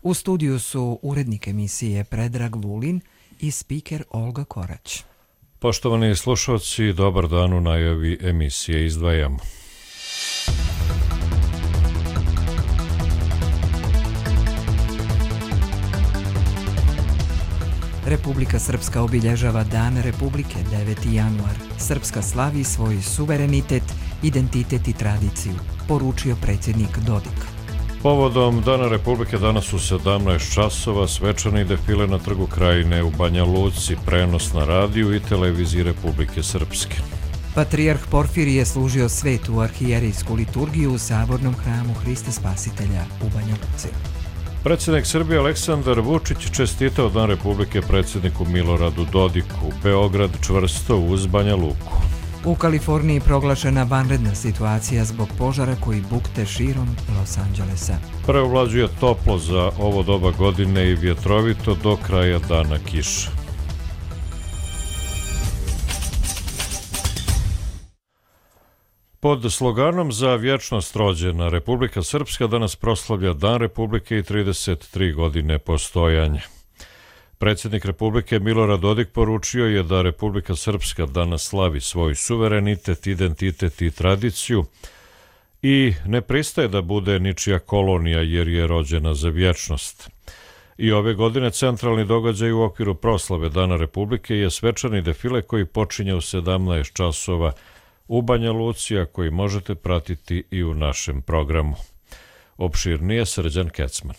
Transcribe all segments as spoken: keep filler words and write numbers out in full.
U studiju su urednik emisije Predrag Vulin i spiker Olga Korać. Poštovani slušalci, dobar dan, u najavi emisije izdvajamo. Republika Srpska obilježava Dan Republike deveti januar. Srpska slavi svoj suverenitet, identitet i tradiciju, poručio predsjednik Dodik. Povodom Dana Republike danas u sedamnaest časova svečani defile na Trgu Krajine u Banja Luci, prenos na radiju i televiziji Republike Srpske. Patrijarh Porfirije je služio svetu arhijerijsku liturgiju u Sabornom hramu Hrista Spasitelja u Banja Luci. Predsjednik Srbije Aleksandar Vučić čestitao Dan Republike predsjedniku Miloradu Dodiku. Beograd čvrsto uz Banja Luku. U Kaliforniji proglašena vanredna situacija zbog požara koji bukte širom Los Angelesa. Preovlađuje toplo za ovo doba godine i vjetrovito do kraja dana kiša. Pod sloganom Za vječnost rođena, Republika Srpska danas proslavlja Dan Republike i trideset tri godine postojanja. Predsjednik Republike Milorad Dodik poručio je da Republika Srpska danas slavi svoj suverenitet, identitet i tradiciju i ne pristaje da bude ničija kolonija jer je rođena za vječnost. I ove godine centralni događaj u okviru proslave Dana Republike je svečani defile koji počinje u sedamnaest časova u Banja Luci, a koji možete pratiti i u našem programu. Opširnije Srđan Kecman.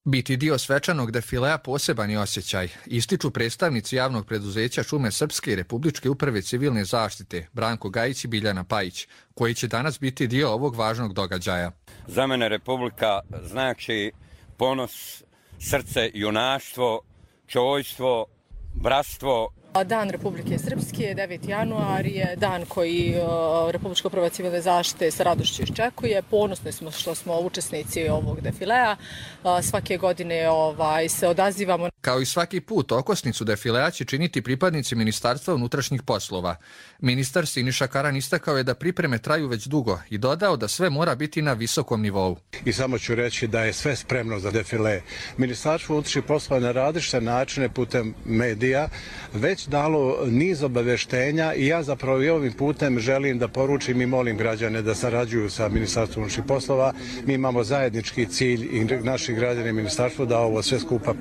Biti dio svečanog defilea poseban je osjećaj, ističu predstavnici javnog preduzeća Šume Srpske i Republičke uprave civilne zaštite Branko Gajić i Biljana Pajić, koji će danas biti dio ovog važnog događaja. Za mene Republika znači ponos, srce, junaštvo, čojstvo, bratstvo. Dan Republike Srpske, deveti januar, je dan koji uh, Republička uprava civilne zaštite sa radošću iščekuje. Ponosni smo što smo učesnici ovog defilea. Uh, svake godine ovaj, se odazivamo. Kao i svaki put, okosnicu defilea će činiti pripadnici Ministarstva unutrašnjih poslova. Ministar Siniša Karan istakao je da pripreme traju već dugo i dodao da sve mora biti na visokom nivou. I samo ću reći da je sve spremno za defile. Ministarstvo unutrašnjih poslova na različite načine putem medija već dalo niz obaveštenja i ja zapravo i ovim putem želim da poručim i molim građane da sarađuju sa Ministarstvom unutrašnjih poslova. Mi imamo zajednički cilj i naši građani ministarstvo da ovo sve skupa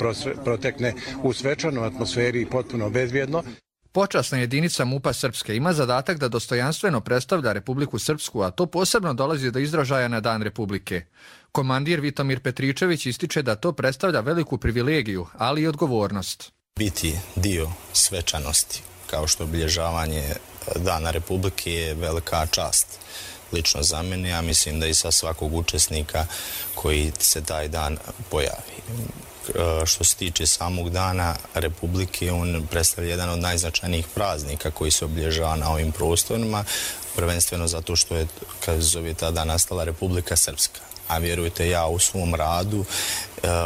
protekne u svečanoj atmosferi i potpuno bezbjedno. Počasna jedinica MUP-a Srpske ima zadatak da dostojanstveno predstavlja Republiku Srpsku, a to posebno dolazi do izražaja na Dan Republike. Komandir Vitomir Petričević ističe da to predstavlja veliku privilegiju, ali i odgovornost. Biti dio svečanosti, kao što obilježavanje Dana Republike, je velika čast. Lično za mene, ja mislim da i sa svakog učesnika koji se taj dan pojavi. Što se tiče samog Dana Republike, on predstavlja jedan od najznačajnijih praznika koji se obilježava na ovim prostorima, prvenstveno zato što je, kad zove tada, nastala Republika Srpska. A vjerujte, ja u svom radu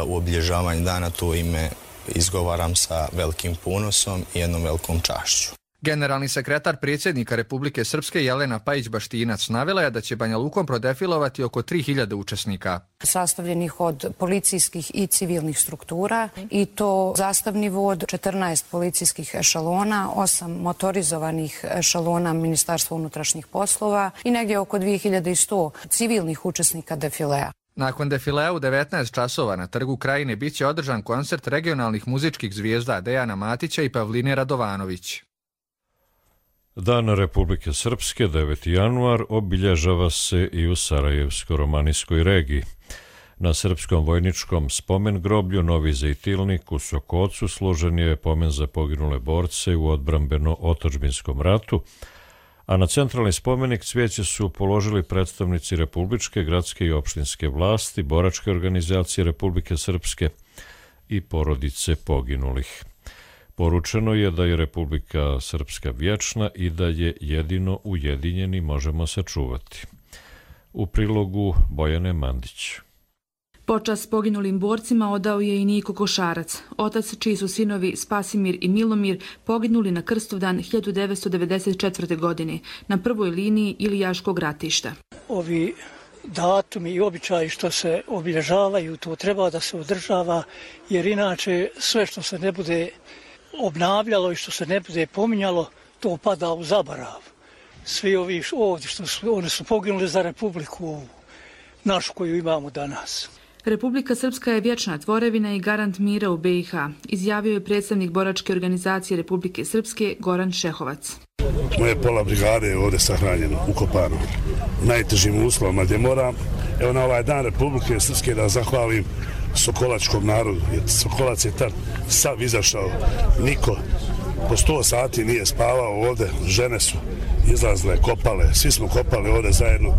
u obilježavanju dana to ime izgovaram sa velikim ponosom i jednom velikom čašću. Generalni sekretar predsjednika Republike Srpske Jelena Pajić-Baštinac navela je da će Banja Lukom prodefilovati oko tri hiljade učesnika. Sastavljenih od policijskih i civilnih struktura i to zastavni vod, četrnaest policijskih ešalona, osam motorizovanih ešalona Ministarstva unutrašnjih poslova i negdje oko dvije hiljade sto civilnih učesnika defilea. Nakon defilea u devetnaest časova na Trgu Krajine bit će održan koncert regionalnih muzičkih zvijezda Dejana Matića i Pavline Radovanović. Dan Republike Srpske, deveti januar, obilježava se i u Sarajevsko-romanijskoj regiji. Na Srpskom vojničkom spomen groblju Novi Zejtilnik u Sokocu služen je pomen za poginule borce u odbrambeno-otadžbinskom ratu, a na centralni spomenik cvijeće su položili predstavnici republičke, gradske i opštinske vlasti, boračke organizacije Republike Srpske i porodice poginulih. Poručeno je da je Republika Srpska vječna i da je jedino ujedinjeni možemo sačuvati. U prilogu Bojane Mandić. Počast poginulim borcima odao je i Niko Košarac, otac čiji su sinovi Spasimir i Milomir poginuli na Krstovdan hiljadu devetsto devedeset četvrte. godine na prvoj liniji Ilijaškog ratišta. Ovi datumi i običaji što se obilježavaju, to treba da se održava, jer inače sve što se ne bude obnavljalo i što se ne bude pominjalo, to pada u zaborav. Svi ovi ovdje što su, oni su poginuli za Republiku našu koju imamo danas. Republika Srpska je vječna tvorevina i garant mira u be i ha, izjavio je predstavnik boračke organizacije Republike Srpske Goran Šehovac. Moje pola brigade je ovdje sahranjeno, ukopano, u najtežim uslovima gdje moram. Evo na ovaj dan Republike Srpske da zahvalim sokolačkom narodu, jer Sokolac je tad sav izašao, niko po sto sati nije spavao ovdje, žene su izlazile, kopale, svi smo kopali ovdje zajedno.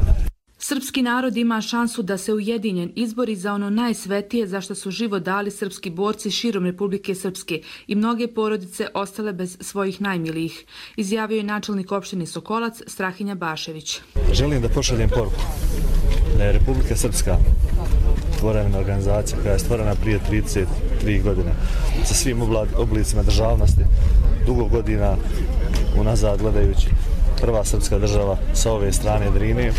Srpski narod ima šansu da se ujedinjen izbori za ono najsvetije za što su život dali srpski borci širom Republike Srpske i mnoge porodice ostale bez svojih najmilijih, izjavio je načelnik opštine Sokolac Strahinja Bašević. Želim da pošaljem poruku da je Republika Srpska tvorevina organizacija koja je stvorena prije trideset tri godine sa svim oblicima državnosti, dugo godina unazad gledajući prva srpska država sa ove strane Drine,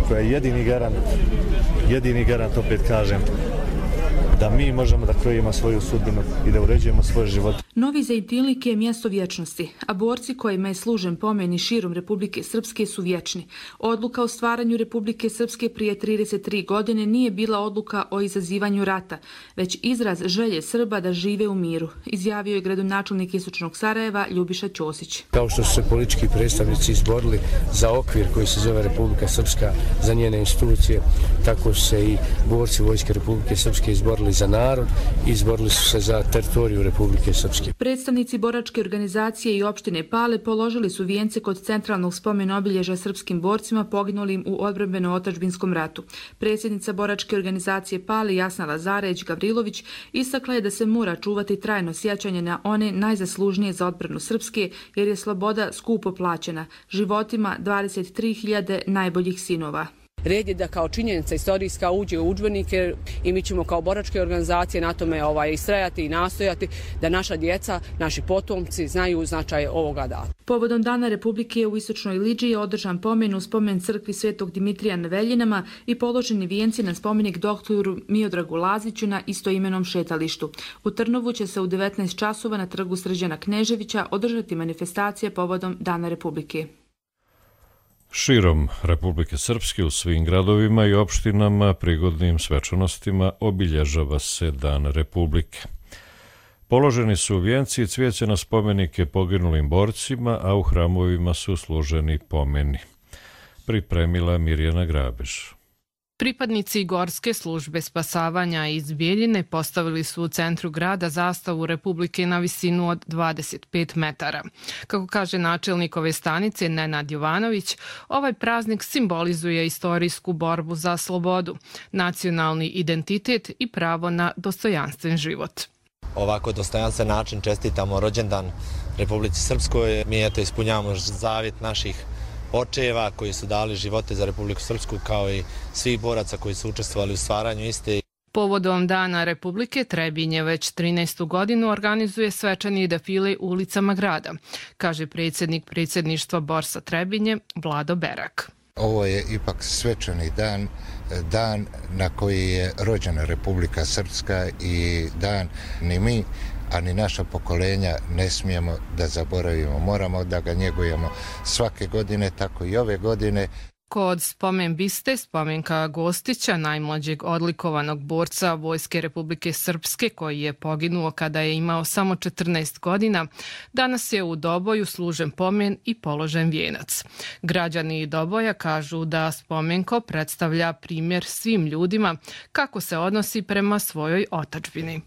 koja je jedini garant, jedini garant, opet kažem, da mi možemo da krojimo svoju sudbinu i da uređujemo svoj život. Novi Zejtinlik je mjesto vječnosti, a borci kojima je služen pomen i širom Republike Srpske su vječni. Odluka o stvaranju Republike Srpske prije trideset tri godine nije bila odluka o izazivanju rata, već izraz želje Srba da žive u miru, izjavio je gradonačelnik Istočnog Sarajeva Ljubiša Ćosić. Kao što su se politički predstavnici izborili za okvir koji se zove Republika Srpska, za njene institucije, tako su se i borci Vojske Republike Srpske izborili za narod i izborili su se za teritoriju Republike Srpske. Predstavnici boračke organizacije i opštine Pale položili su vijence kod centralnog spomen obilježja srpskim borcima poginulim u odbrambeno-otadžbinskom ratu. Predsjednica boračke organizacije Pale Jasna Lazareć Gavrilović istakla je da se mora čuvati trajno sjećanje na one najzaslužnije za odbranu Srpske, jer je sloboda skupo plaćena životima dvadeset tri hiljade najboljih sinova. Red je da kao činjenica istorijska uđe u udžbenike i mi ćemo kao boračke organizacije na tome ovaj, istrajati i nastojati da naša djeca, naši potomci znaju značaj ovoga data. Povodom Dana Republike u Istočnoj Liđi je održan pomen u spomen crkvi Svetog Dimitrija na Veljinama i položeni vijenci na spomenik doktoru Miodragu Laziću na istoimenom šetalištu. U Trnovu će se u devetnaest časova na trgu Srđana Kneževića održati manifestacija povodom Dana Republike. Širom Republike Srpske u svim gradovima i opštinama prigodnim svečanostima obilježava se Dan Republike. Položeni su vijenci i cvijeće na spomenike poginulim borcima, a u hramovima su služeni pomeni. Pripremila Mirjana Grabež. Pripadnici Gorske službe spasavanja iz Bijeljine postavili su u centru grada zastavu Republike na visinu od dvadeset pet metara. Kako kaže načelnik ove stanice Nenad Jovanović, ovaj praznik simbolizuje istorijsku borbu za slobodu, nacionalni identitet i pravo na dostojanstven život. Ovako dostojanstven način čestitamo rođendan Republici Srpskoj. Mi eto ispunjavamo zavjet naših očeva koji su dali živote za Republiku Srpsku, kao i svih boraca koji su učestvovali u stvaranju iste. Povodom Dana Republike Trebinje već trinaestu godinu organizuje svečani defile ulicama grada, kaže predsjednik predsjedništva Borsa Trebinje Vlado Berak. Ovo je ipak svečani dan, dan na koji je rođena Republika Srpska i dan ni mi, a ni naša pokolenja ne smijemo da zaboravimo. Moramo da ga njegujemo svake godine, tako i ove godine. Kod spomen biste, spomenka Gostića, najmlađeg odlikovanog borca Vojske Republike Srpske koji je poginuo kada je imao samo četrnaest godina, danas je u Doboju služen pomen i položen vijenac. Građani Doboja kažu da spomenko predstavlja primjer svim ljudima kako se odnosi prema svojoj otadžbini.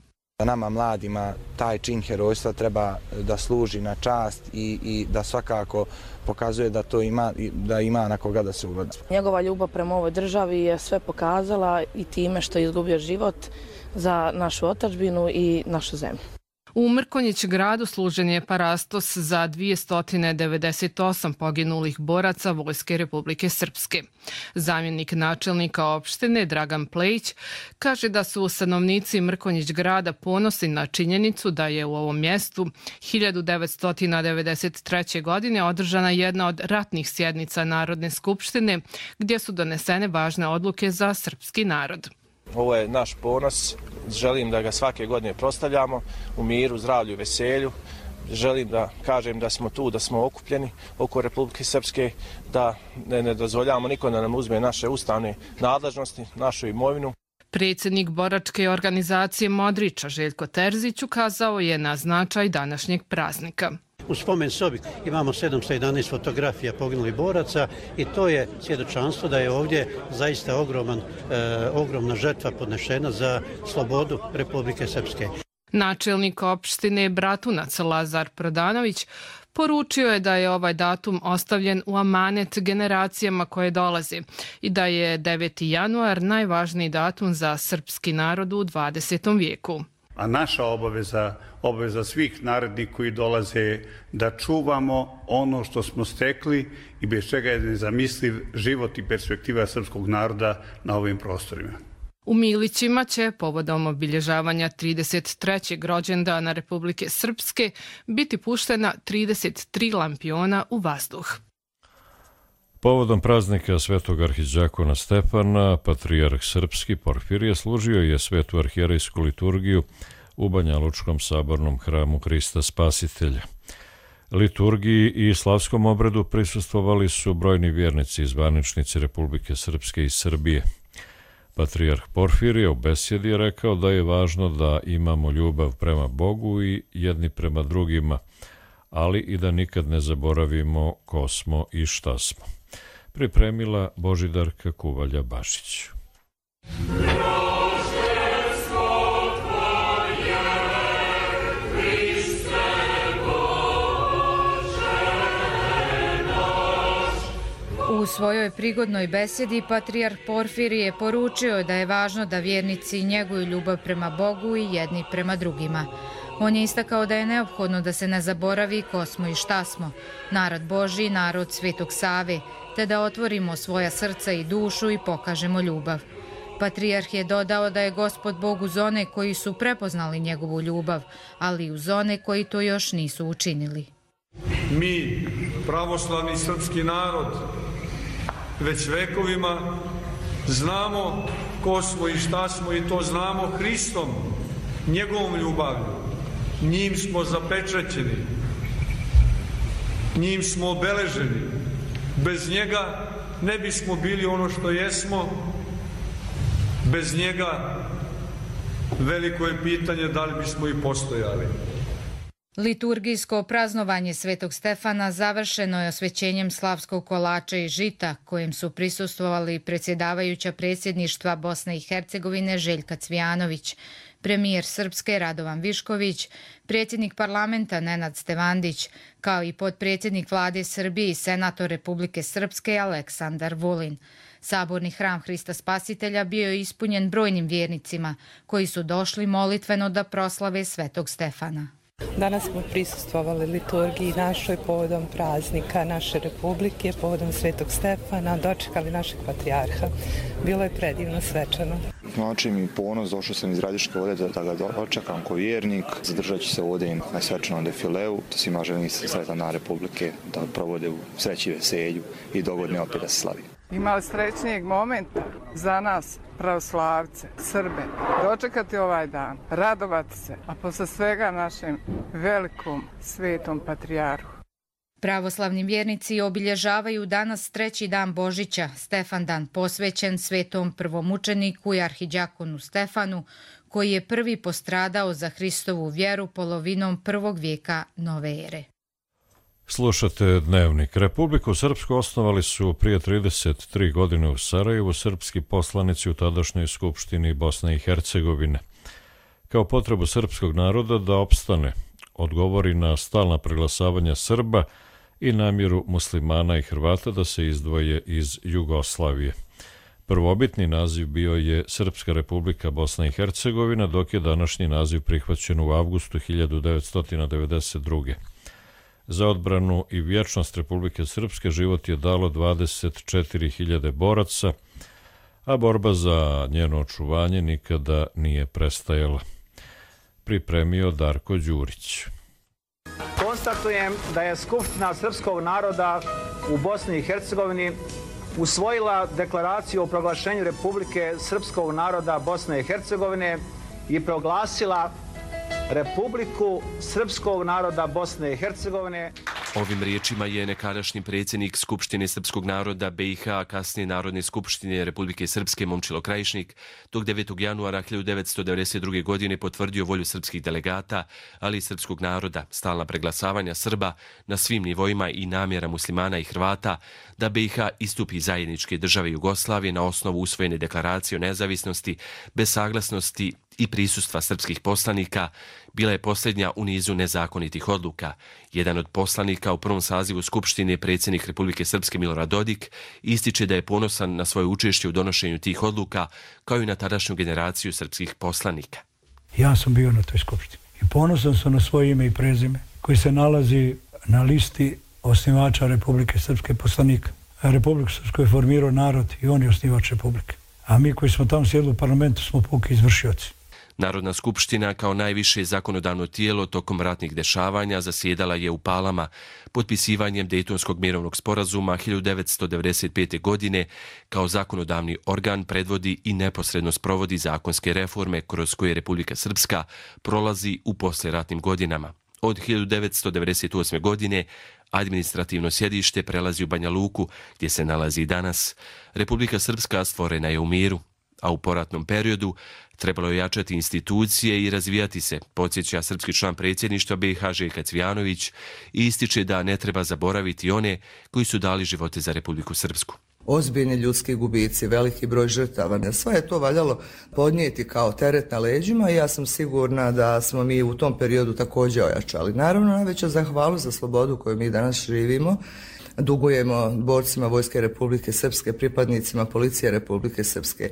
Nama mladima taj čin herojstva treba da služi na čast i, i da svakako pokazuje da to ima, da ima na koga da se ugleda. Njegova ljubav prema ovoj državi je sve pokazala i time što je izgubio život za našu otadžbinu i našu zemlju. U Mrkonjić gradu služen je parastos za dvjesto devedeset osam poginulih boraca Vojske Republike Srpske. Zamjenik načelnika opštine Dragan Plejić kaže da su stanovnici Mrkonjić grada ponosni na činjenicu da je u ovom mjestu hiljadu devetsto devedeset treće. godine održana jedna od ratnih sjednica Narodne skupštine gdje su donesene važne odluke za srpski narod. Ovo je naš ponos, želim da ga svake godine proslavljamo u miru, zdravlju i veselju. Želim da kažem da smo tu, da smo okupljeni oko Republike Srpske, da ne, ne dozvoljavamo niko da nam uzme naše ustavne nadležnosti, našu imovinu. Predsjednik boračke organizacije Modriča Željko Terzić ukazao je na značaj današnjeg praznika. U spomen sobi imamo sedamsto jedanaest fotografija poginulih boraca i to je svjedočanstvo da je ovdje zaista ogroman, e, ogromna žrtva podnešena za slobodu Republike Srpske. Načelnik opštine Bratunac Lazar Prodanović poručio je da je ovaj datum ostavljen u amanet generacijama koje dolaze i da je deveti januar najvažniji datum za srpski narod u dvadesetom vijeku. A naša obaveza, obaveza svih narednih koji dolaze da čuvamo ono što smo stekli i bez čega je nezamisliv život i perspektiva srpskog naroda na ovim prostorima. U Milićima će povodom obilježavanja trideset trećeg rođendana Republike Srpske biti puštena trideset tri lampiona u vazduh. Povodom praznika svetog arhidžakona Stefana, patrijarh srpski Porfirije služio je svetu arhijerejsku liturgiju u Banjalučkom sabornom hramu Hrista Spasitelja. Liturgiji i slavskom obredu prisustvovali su brojni vjernici i zvaničnici Republike Srpske i Srbije. Patrijarh Porfirije u besjedi je rekao da je važno da imamo ljubav prema Bogu i jedni prema drugima, ali i da nikad ne zaboravimo ko smo i šta smo. Pripremila Božidarka Kuvalja-Bašić. U svojoj prigodnoj besjedi patrijarh Porfirije poručio da je važno da vjernici njeguju ljubav prema Bogu i jedni prema drugima. On je istakao da je neophodno da se ne zaboravi ko smo i šta smo, narod Božji, narod Svetog Save, te da otvorimo svoja srca i dušu i pokažemo ljubav. Patrijarh je dodao da je Gospod Bog uz one koji su prepoznali njegovu ljubav, ali i uz one koji to još nisu učinili. Mi, pravoslavni srpski narod, već vekovima znamo ko smo i šta smo i to znamo Hristom, njegovom ljubavlju. Njim smo zapečaćeni, njim smo obeleženi. Bez njega ne bismo bili ono što jesmo, bez njega veliko je pitanje da li bismo i postojali. Liturgijsko praznovanje Svetog Stefana završeno je osvećenjem slavskog kolača i žita, kojem su prisustvovali predsjedavajuća predsjedništva Bosne i Hercegovine Željka Cvijanović, premijer Srpske Radovan Višković, predsjednik parlamenta Nenad Stevandić, kao i potpredsjednik vlade Srbije i senator Republike Srpske Aleksandar Vulin. Saborni hram Hrista Spasitelja bio je ispunjen brojnim vjernicima koji su došli molitveno da proslave Svetog Stefana. Danas smo prisustvovali liturgiji našoj povodom praznika naše republike, povodom Svetog Stefana, dočekali našeg patrijarha. Bilo je predivno, svečano. Znači mi ponos, došao sam iz Radiške ovdje da ga dočekam kao vjernik. Zadržat ću se ovdje na svečanom defileu. To svima želim sretan dan republike, da provode u sreći, veselju i dogodne opet da se slavi. Imali srećnijeg momenta za nas, pravoslavce, Srbe, dočekati ovaj dan, radovati se, a posle svega našem velikom svetom patrijarhu. Pravoslavni vjernici obilježavaju danas treći dan Božića, Stefan dan posvećen svetom prvomučeniku i arhidjakonu Stefanu, koji je prvi postradao za Hristovu vjeru polovinom prvog vijeka nove ere. Slušate Dnevnik. Republiku Srpsku osnovali su prije trideset tri godine u Sarajevu srpski poslanici u tadašnjoj skupštini Bosne i Hercegovine. Kao potrebu srpskog naroda da opstane, odgovori na stalna preglasavanja Srba i namjeru muslimana i Hrvata da se izdvoje iz Jugoslavije. Prvobitni naziv bio je Srpska Republika Bosna i Hercegovina, dok je današnji naziv prihvaćen u avgustu hiljadu devetsto devedeset druge. Za odbranu i vječnost Republike Srpske život je dalo dvadeset četiri hiljade boraca, a borba za njeno očuvanje nikada nije prestajala. Pripremio Darko Đurić. Konstatujem da je Skupština srpskog naroda u Bosni i Hercegovini usvojila deklaraciju o proglašenju Republike Srpskog naroda Bosne i Hercegovine i proglasila Republiku Srpskog naroda Bosne i Hercegovine. Ovim riječima je nekadašnji predsjednik Skupštine Srpskog naroda B i H, kasnije Narodne skupštine Republike Srpske Momčilo Krajišnik, tog devetog januara hiljadu devetsto devedeset druge. godine potvrdio volju srpskih delegata, ali i srpskog naroda, stalna preglasavanja Srba na svim nivoima i namjera muslimana i Hrvata da B i H istupi zajedničke države Jugoslavije na osnovu usvojene deklaracije o nezavisnosti, bez saglasnosti i prisustva srpskih poslanika, bila je posljednja u nizu nezakonitih odluka. Jedan od poslanika u prvom sazivu Skupštine, predsjednik Republike Srpske Milorad Dodik, ističe da je ponosan na svoje učešće u donošenju tih odluka, kao i na tadašnju generaciju srpskih poslanika. Ja sam bio na toj skupštini i ponosan sam na svoje ime i prezime koji se nalazi na listi osnivača Republike Srpske poslanika. Republiku Srpsku je formirao narod i on je osnivač Republike. A mi koji smo tamo sjedili u parlamentu smo puki izvršioci. Narodna skupština kao najviše zakonodavno tijelo tokom ratnih dešavanja zasjedala je u Palama. Potpisivanjem Dejtonskog mirovnog sporazuma hiljadu devetsto devedeset pete. godine kao zakonodavni organ predvodi i neposredno sprovodi zakonske reforme kroz koje Republika Srpska prolazi u posleratnim godinama. Od hiljadu devetsto devedeset osme. godine administrativno sjedište prelazi u Banja Luku, gdje se nalazi i danas. Republika Srpska stvorena je u miru, a u poratnom periodu trebalo je jačati institucije i razvijati se, podsjeća srpski član predsjedništva B i H Željko Cvijanović i ističe da ne treba zaboraviti one koji su dali živote za Republiku Srpsku. Ozbiljni ljudski gubici, veliki broj žrtava. Sve je to valjalo podnijeti kao teret na leđima i ja sam sigurna da smo mi u tom periodu također ojačali. Naravno, najveća zahvalnost za slobodu koju mi danas živimo dugujemo borcima Vojske Republike Srpske, pripadnicima Policije Republike Srpske.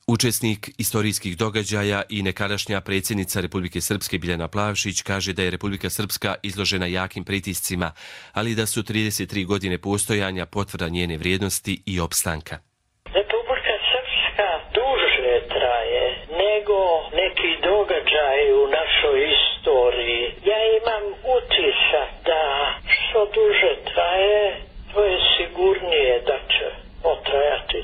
Učesnik istorijskih događaja i nekadašnja predsjednica Republike Srpske Biljana Plavšić kaže da je Republika Srpska izložena jakim pritiscima, ali da su trideset tri godine postojanja potvrda njene vrijednosti i opstanka. Republika Srpska duže traje nego neki događaji u našoj istoriji. Ja imam utisak da što duže traje, to je sigurnije da će potrajati.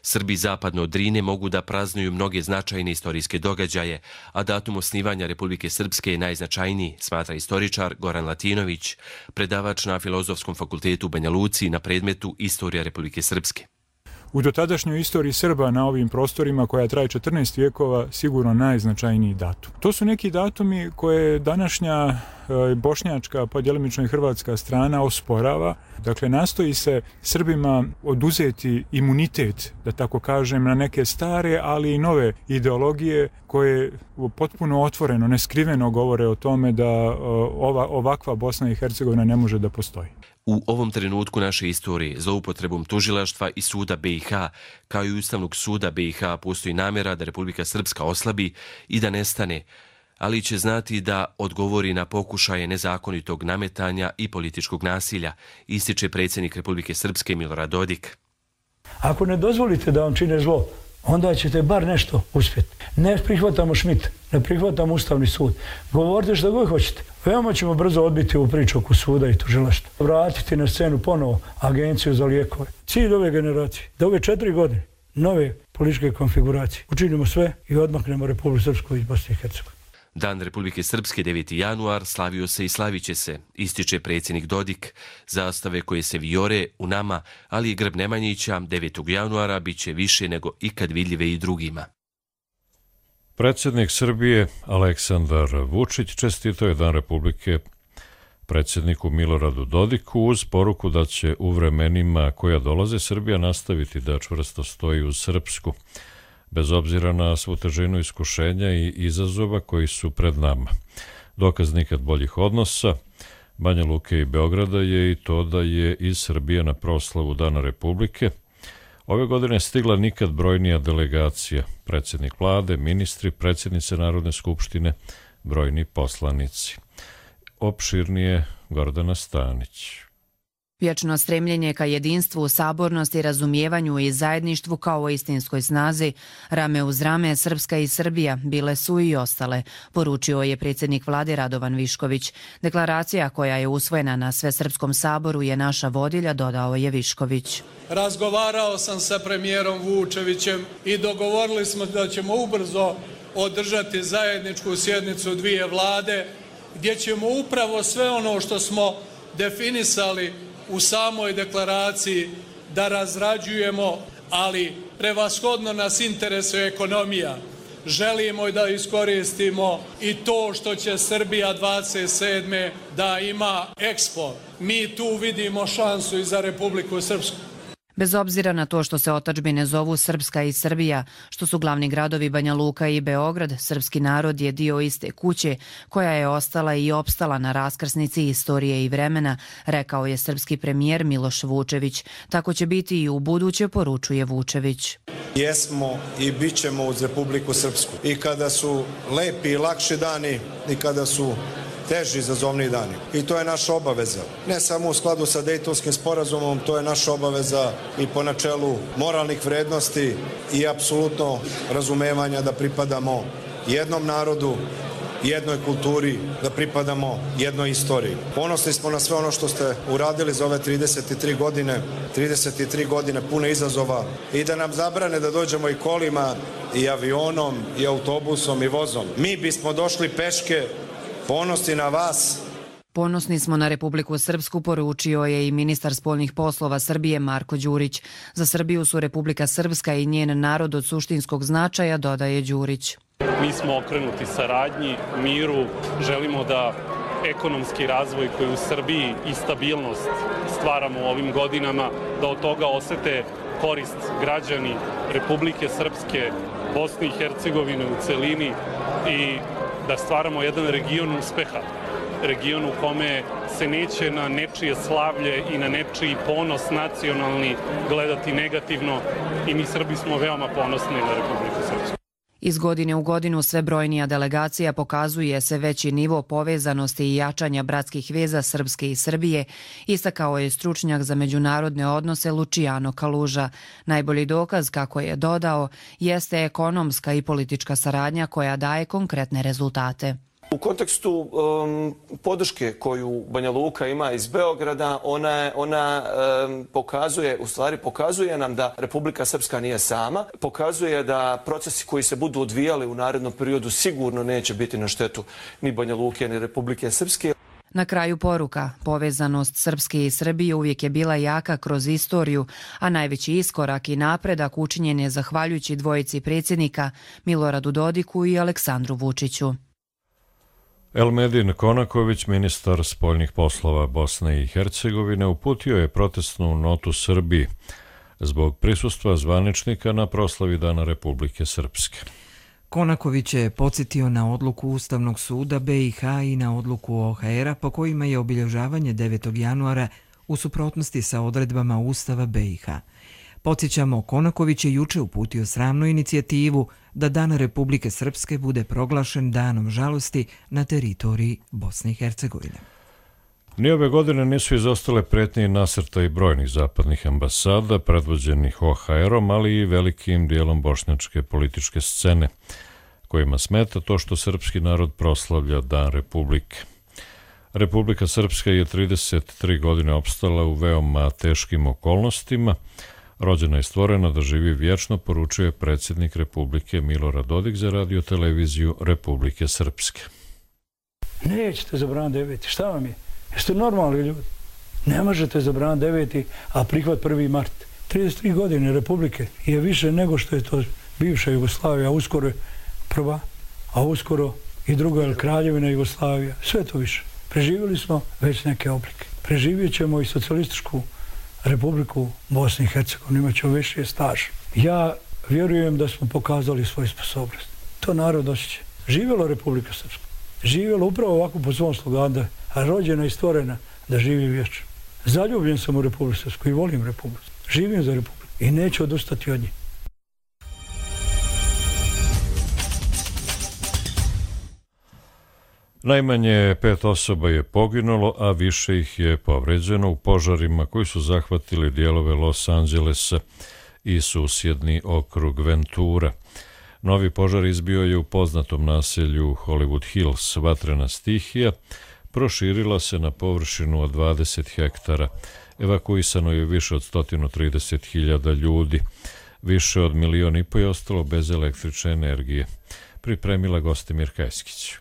Srbi zapadno od Drine mogu da praznuju mnoge značajne istorijske događaje, a datum osnivanja Republike Srpske je najznačajniji, smatra istoričar Goran Latinović, predavač na Filozofskom fakultetu u Banja Luci na predmetu Istorija Republike Srpske. U dotadašnjoj istoriji Srba na ovim prostorima, koja traje četrnaest vijekova, sigurno najznačajniji datum. To su neki datumi koje današnja bošnjačka, pa djelimično i hrvatska strana osporava. Dakle, nastoji se Srbima oduzeti imunitet, da tako kažem, na neke stare, ali i nove ideologije koje potpuno otvoreno, neskriveno govore o tome da ova, ovakva Bosna i Hercegovina ne može da postoji. U ovom trenutku naše istorije, zloupotrebom tužilaštva i suda B i H, kao i Ustavnog suda B i H, postoji namjera da Republika Srpska oslabi i da nestane, ali će znati da odgovori na pokušaje nezakonitog nametanja i političkog nasilja, ističe predsjednik Republike Srpske Milorad Dodik. Ako ne dozvolite da vam čine zlo, onda ćete bar nešto uspjeti. Ne prihvatamo Šmita, ne prihvatamo Ustavni sud. Govorite što god hoćete. Veoma ćemo brzo odbiti ovu priču oko suda i tužilaštva. Vratiti na scenu ponovo Agenciju za lijekove. Cilj ove generacije, da ove četiri godine nove političke konfiguracije učinimo sve i odmaknemo Republiku Srpsku iz Bosne i Hercegovine. Dan Republike Srpske deveti januar slavio se i slavit će se, ističe predsjednik Dodik. Zastave koje se vijore u nama, ali i grb Nemanjića devetog januara bit će više nego ikad vidljive i drugima. Predsjednik Srbije Aleksandar Vučić čestitao je Dan Republike predsjedniku Miloradu Dodiku uz poruku da će u vremenima koja dolaze Srbija nastaviti da čvrsto stoji uz Srpsku, bez obzira na svu težinu iskušenja i izazova koji su pred nama. Dokaz nikad boljih odnosa Banja Luke i Beograda je i to da je iz Srbije na proslavu Dana Republike Ove godine je stigla nikad brojnija delegacija, predsjednik vlade, ministri, predsjednice Narodne skupštine, brojni poslanici. Opširnije Gordana Stanić. Vječno stremljenje ka jedinstvu, sabornosti, razumijevanju i zajedništvu kao o istinskoj snazi, rame uz rame Srpska i Srbija bile su i ostale, poručio je predsjednik vlade Radovan Višković. Deklaracija koja je usvojena na Svesrpskom saboru je naša vodilja, dodao je Višković. Razgovarao sam sa premijerom Vučevićem i dogovorili smo da ćemo ubrzo održati zajedničku sjednicu dvije vlade gdje ćemo upravo sve ono što smo definisali u samoj deklaraciji da razrađujemo, ali prevashodno nas interesuje ekonomija. Želimo da iskoristimo i to što će Srbija dvadeset sedme da ima Expo. Mi tu vidimo šansu i za Republiku Srpsku. Bez obzira na to što se otadžbine zovu Srpska i Srbija, što su glavni gradovi Banja Luka i Beograd, srpski narod je dio iste kuće koja je ostala i opstala na raskrsnici istorije i vremena, rekao je srpski premijer Miloš Vučević. Tako će biti i u buduće, poručuje Vučević. Jesmo i bit ćemo uz Republiku Srpsku. I kada su lepi i lakši dani i kada su teži izazovni dani. I to je naša obaveza. Ne samo u skladu sa Dejtonskim sporazumom, to je naša obaveza i po načelu moralnih vrednosti i apsolutno razumevanja da pripadamo jednom narodu, jednoj kulturi, da pripadamo jednoj istoriji. Ponosni smo na sve ono što ste uradili za ove trideset tri godine, trideset tri godine pune izazova i da nam zabrane da dođemo i kolima i avionom i autobusom i vozom. Mi bismo došli peške. Ponosni na vas. Ponosni smo na Republiku Srpsku, poručio je i ministar spoljnih poslova Srbije Marko Đurić. Za Srbiju su Republika Srpska i njen narod od suštinskog značaja, dodaje Đurić. Mi smo okrenuti saradnji, miru, želimo da ekonomski razvoj koji u Srbiji i stabilnost stvaramo u ovim godinama, da od toga osete korist građani Republike Srpske, Bosne i Hercegovine u celini i da stvaramo jedan region uspeha, region u kome se neće na nečije slavlje i na nečiji ponos nacionalni gledati negativno i mi Srbi smo veoma ponosni na Republiku Srpsku. Iz godine u godinu sve brojnija delegacija pokazuje se veći nivo povezanosti i jačanja bratskih veza Srpske i Srbije, istakao je stručnjak za međunarodne odnose Luciano Kaluža. Najbolji dokaz, kako je dodao, jeste ekonomska i politička saradnja koja daje konkretne rezultate. U kontekstu um, podrške koju Banja Luka ima iz Beograda, ona, ona um, pokazuje, u stvari pokazuje nam da Republika Srpska nije sama, pokazuje da procesi koji se budu odvijali u narednom periodu sigurno neće biti na štetu ni Banja Luke ni Republike Srpske. Na kraju poruka, povezanost Srpske i Srbije uvijek je bila jaka kroz istoriju, a najveći iskorak i napredak učinjen je zahvaljujući dvojici predsjednika Miloradu Dodiku i Aleksandru Vučiću. Elmedin Konaković, ministar spoljnih poslova Bosne i Hercegovine, uputio je protestnu notu Srbiji zbog prisustva zvaničnika na proslavi Dana Republike Srpske. Konaković je podsjetio na odluku Ustavnog suda B i H i na odluku O H R-a po kojima je obilježavanje devetog januara u suprotnosti sa odredbama Ustava B i H. Podsjećamo, Konaković je juče uputio sramnu inicijativu da Dan Republike Srpske bude proglašen danom žalosti na teritoriji Bosne i Hercegovine. Ni ove godine nisu izostale pretnje i nasrtaji brojnih zapadnih ambasada, predvođenih O H R-om, ali i velikim dijelom bošnjačke političke scene, kojima smeta to što srpski narod proslavlja Dan Republike. Republika Srpska je trideset tri godine opstala u veoma teškim okolnostima, rođena i stvorena da živi vječno, poručuje predsjednik Republike Milorad Dodik za radio-televiziju Republike Srpske. Nećete zabraniti deveti, šta vam je? Jeste normalni ljudi? Ne možete zabraniti deveti, a prihvat prvi mart. trideset tri godine Republike je više nego što je to bivša Jugoslavija, a uskoro je prva, a uskoro i druga je Kraljevina Jugoslavija. Sve to više. Preživjeli smo već neke oblike. Preživjet ćemo i socijalističku Republiku Bosne i Hercegovine, imat ćemo više staž. Ja vjerujem da smo pokazali svoju sposobnost. To narod osjeća. Živjela Republika Srpska. Živjela upravo ovako po svom sloganu, a rođena i stvorena da živi vječno. Zaljubljen sam u Republiku Srpsku i volim Republiku. Živim za Republiku. i neće odustati od nje. Najmanje pet osoba je poginulo, a više ih je povređeno u požarima koji su zahvatili dijelove Los Angelesa i susjedni okrug Ventura. Novi požar izbio je u poznatom naselju Hollywood Hills. Vatrena stihija proširila se na površinu od dvadeset hektara. Evakuisano je više od sto trideset hiljada ljudi. Više od milion i po je ostalo bez električne energije. Pripremila Gostimir Kajskić.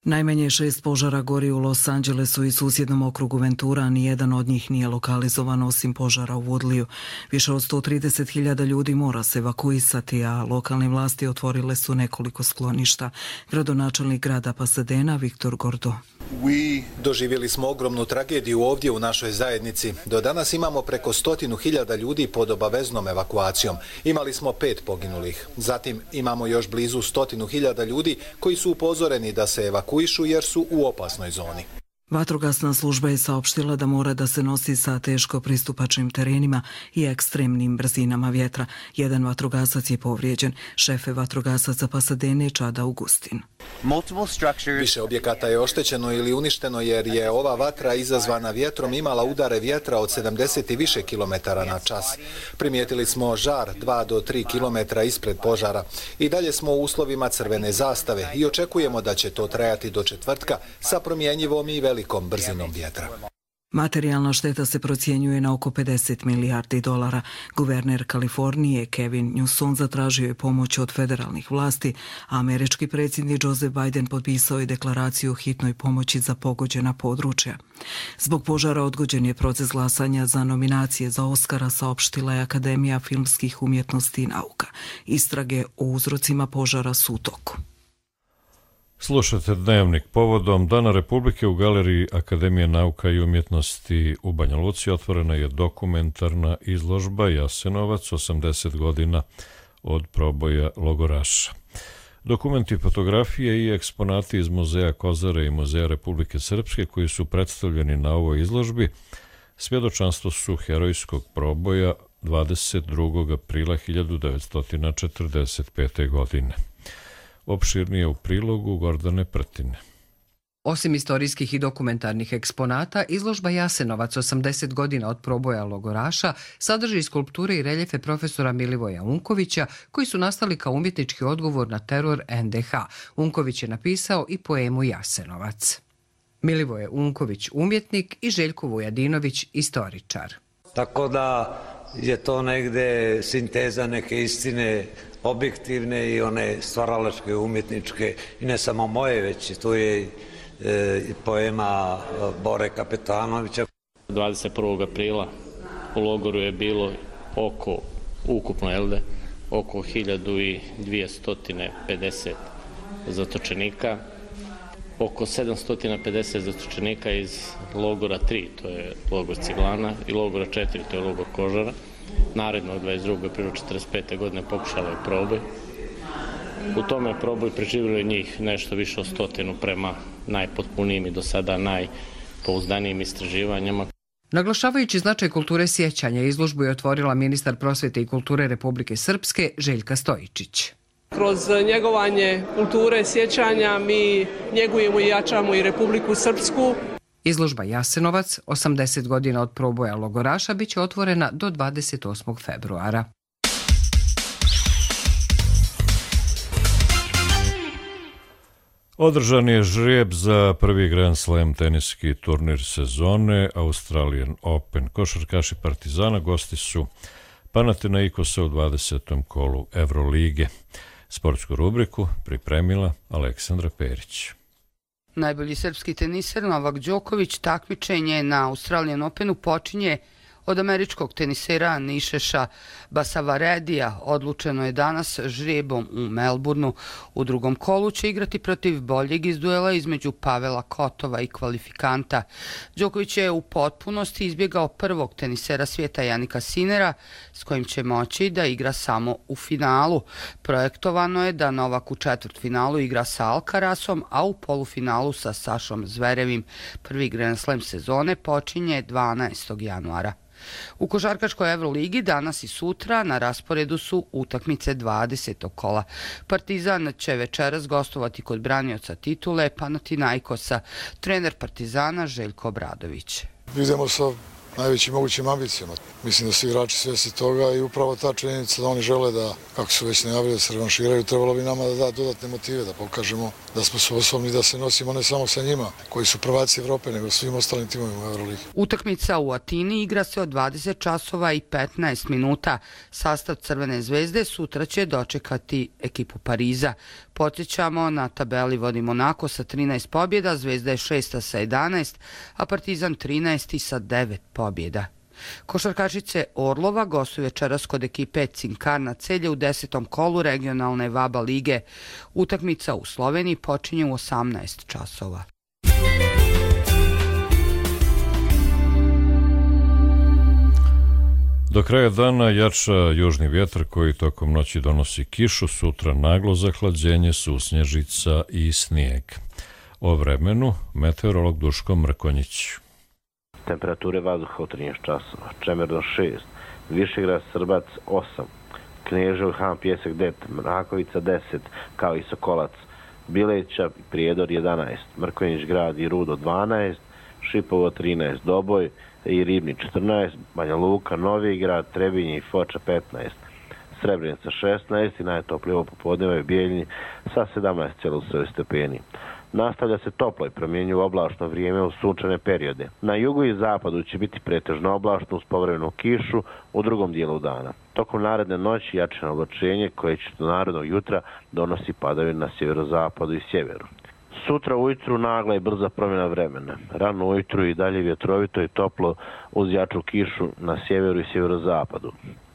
Najmanje šest požara gori u Los Angelesu i susjednom okrugu Ventura, a nijedan od njih nije lokalizovan osim požara u Woodleyu. Više od sto trideset hiljada ljudi mora se evakuisati, a lokalne vlasti otvorile su nekoliko skloništa. Gradonačelnik grada Pasadena, Viktor Gordo. Doživjeli smo ogromnu tragediju ovdje u našoj zajednici. Do danas imamo preko stotinu hiljada ljudi pod obaveznom evakuacijom. Imali smo pet poginulih. Zatim imamo još blizu stotinu hiljada ljudi koji su upozoreni da se evakuišu jer su u opasnoj zoni. Vatrogasna služba je saopštila da mora da se nosi sa teško pristupačnim terenima i ekstremnim brzinama vjetra. Jedan vatrogasac je povrijeđen. Šefe vatrogasaca Pasadene, Chad Augustin. Više objekata je oštećeno ili uništeno jer je ova vatra izazvana vjetrom imala udare vjetra od sedamdeset i više kilometara na čas. Primijetili smo žar dva do tri kilometra ispred požara. I dalje smo u uslovima crvene zastave i očekujemo da će to trajati do četvrtka sa promjenjivom i velikom brzinom vjetra. Materijalna šteta se procjenjuje na oko pedeset milijardi dolara. Guverner Kalifornije Kevin Newsom zatražio je pomoć od federalnih vlasti, a američki predsjednik Joe Biden potpisao je deklaraciju o hitnoj pomoći za pogođena područja. Zbog požara odgođen je proces glasanja za nominacije za Oskara, saopštila je Akademija filmskih umjetnosti i nauka. Istrage o uzrocima požara su u toku. Slušate Dnevnik povodom Dana Republike u Galeriji Akademije nauka i umjetnosti u Banja Luci otvorena je dokumentarna izložba Jasenovac, osamdeset godina od proboja logoraša. Dokumenti, fotografije i eksponati iz Muzeja Kozare i Muzeja Republike Srpske koji su predstavljeni na ovoj izložbi svjedočanstvo su herojskog proboja dvadeset drugog aprila hiljadu devetsto četrdeset pete. godine. Opširnije u prilogu Gordane Prtine. Osim istorijskih i dokumentarnih eksponata, izložba Jasenovac, osamdeset godina od proboja logoraša, sadrži skulpture i reljefe profesora Milivoja Unkovića, koji su nastali kao umjetnički odgovor na teror en de ha. Unković je napisao i poemu Jasenovac. Milivoje Unković, umjetnik, i Željko Vujadinović, istoričar. Tako da je to negde sinteza neke istine objektivne i one stvaralačke, umjetničke, i ne samo moje, već tu je e, poema Bore Kapetanovića. dvadeset prvog aprila u logoru je bilo oko, ukupno elde, oko hiljadu dvjesto pedeset zatočenika, oko sedamsto pedeset zatočenika iz logora tri, to je logor Ciglana, i logora četiri, to je logor Kožara. Naredno, dvadeset drugog aprila četrdeset pete. godine pokušalo je proboj. U tome proboj preživjelo je njih nešto više od stotinu prema najpotpunijim i do sada najpouzdanijim istraživanjima. Naglašavajući značaj kulture sjećanja, izložbu je otvorila ministar prosvjete i kulture Republike Srpske Željka Stojičić. Kroz njegovanje kulture sjećanja mi njegujemo i jačamo i Republiku Srpsku. Izložba Jasenovac, osamdeset godina od proboja logoraša, bit će otvorena do dvadeset osmog februara. Održan je žrijeb za prvi Grand Slam teniski turnir sezone Australian Open. Košarkaši Partizana gosti su Panathinaikosa u dvadesetom kolu Evrolige. Sportsku rubriku pripremila Aleksandra Perić. Najbolji srpski teniser Novak Đoković takmičenje na Australian Openu počinje od američkog tenisera Nišeša Basavaredija. Odlučeno je danas žrijebom u Melbourneu. U drugom kolu će igrati protiv boljeg iz duela između Pavela Kotova i kvalifikanta. Đoković je u potpunosti izbjegao prvog tenisera svijeta Janika Sinera, s kojim će moći da igra samo u finalu. Projektovano je da Novak u četvrtfinalu igra sa Alcarasom, a u polufinalu sa Sašom Zverevim. Prvi Grand Slam sezone počinje dvanaestog januara. U košarkaškoj Evroligi danas i sutra na rasporedu su utakmice dvadesetog kola. Partizan će večeras gostovati kod branioca titule Panathinaikosa, trener Partizana Željko Obradović. Idemo sa najvećim mogućim ambicijama. Mislim da su igrači svjesni toga i upravo ta činjenica da oni žele da, kako su već najavili, da se revanširaju, trebalo bi nama da da dodatne motive, da pokažemo da smo sposobni da se nosimo ne samo sa njima, koji su prvaci Evrope, nego svim ostalim timovima u Euroligi. Utakmica u Atini igra se od dvadeset časova i petnaest minuta. Sastav Crvene zvezde sutra će dočekati ekipu Pariza. Podsjećamo, na tabeli vodi Monako sa trinaest pobjeda, Zvezda je šesta sa jedanaest, a Partizan trinaesti sa devet pobjeda. Košarkašice Orlova gostuju večeras kod ekipe Cinkarna Celje u desetom kolu regionalne VABA lige. Utakmica u Sloveniji počinje u osamnaest časova. Do kraja dana jača južni vjetar koji tokom noći donosi kišu, sutra naglo zahlađenje, susnježica i snijeg. O vremenu meteorolog Duško Mrkonjić. Temperature vazduha u trinaest časova, Čemerno šest, Višegrad Srbac osam, Knežev Han Pjesak devet, Mrakovica deset, kao i Sokolac, Bileća i Prijedor jedanaest, Mrkonjić Grad i Rudo dvanaest, Šipovo trinaest, Doboj i Ribni četrnaest, Banja Luka, Novi Grad, Trebinje i Foča petnaest, Srebrenica šesnaest i najtoplije popodneva je Bijeljni sa sedamnaest zarez sedam stepeni. Nastavlja se toplo i promjenjivo oblačno vrijeme u sunčane periode. Na jugu i zapadu će biti pretežno oblačno uz povremenu kišu u drugom dijelu dana. Tokom naredne noći jačano oblačenje koje će do narednog jutra donosi padavine na sjeverozapadu i sjeveru. Sutra ujutru nagla i brza promjena vremena. Rano ujutru i dalje vjetrovito i toplo uz jaču kišu na sjeveru i sjeverozapadu.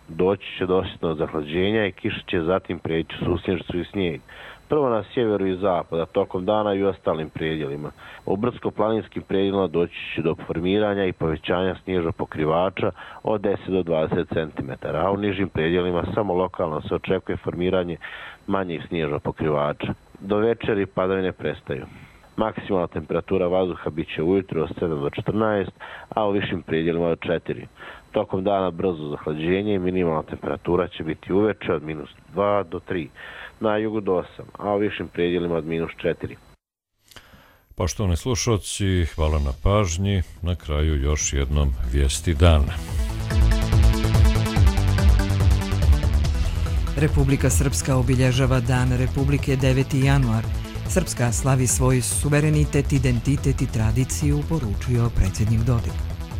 Doći će do osjetnog zahlađenja i kiša će zatim prijeći susnježicu i snijeg. Prvo na sjeveru i zapada, tokom dana i u ostalim predjelima. U brdsko-planinskim predjelima doći će do formiranja i povećanja snježnog pokrivača od deset do dvadeset centimetara, a u nižim predjelima samo lokalno se očekuje formiranje manjih snježnog pokrivača. Do večeri padavine prestaju. Maksimalna temperatura vazduha bit će ujutro od sedam do četrnaest, a u višim predjelima od četiri. Tokom dana brzo zahlađenje i minimalna temperatura će biti uveče od minus dva do tri. Na jugu do osam, a u višim predjelima od minus četiri. Poštovani slušalci, hvala na pažnji. Na kraju još jednom vijesti dana. Republika Srpska obilježava Dan Republike deveti januar. Srpska slavi svoj suverenitet, identitet i tradiciju, poručio predsjednik Dodik.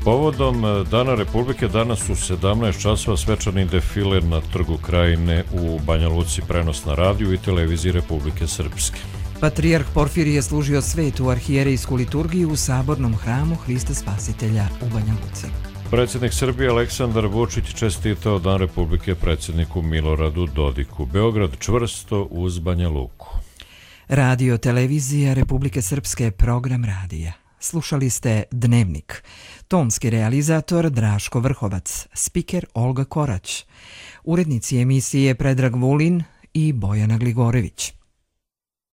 Povodom Dana Republike danas u sedamnaest časova svečani defile na Trgu Krajine u Banja Luci, prenos na radiju i televiziji Republike Srpske. Patrijarh Porfirije je služio svetu arhijerejsku liturgiju u sabornom hramu Hrista Spasitelja u Banja Luci. Predsjednik Srbije Aleksandar Vučić čestitao Dan Republike predsjedniku Miloradu Dodiku. Beograd čvrsto uz Banja Luku. Radio televizija Republike Srpske, program radija. Slušali ste Dnevnik. Tonski realizator Draško Vrhovac, spiker Olga Korać, urednici emisije Predrag Vulin i Bojana Gligorević.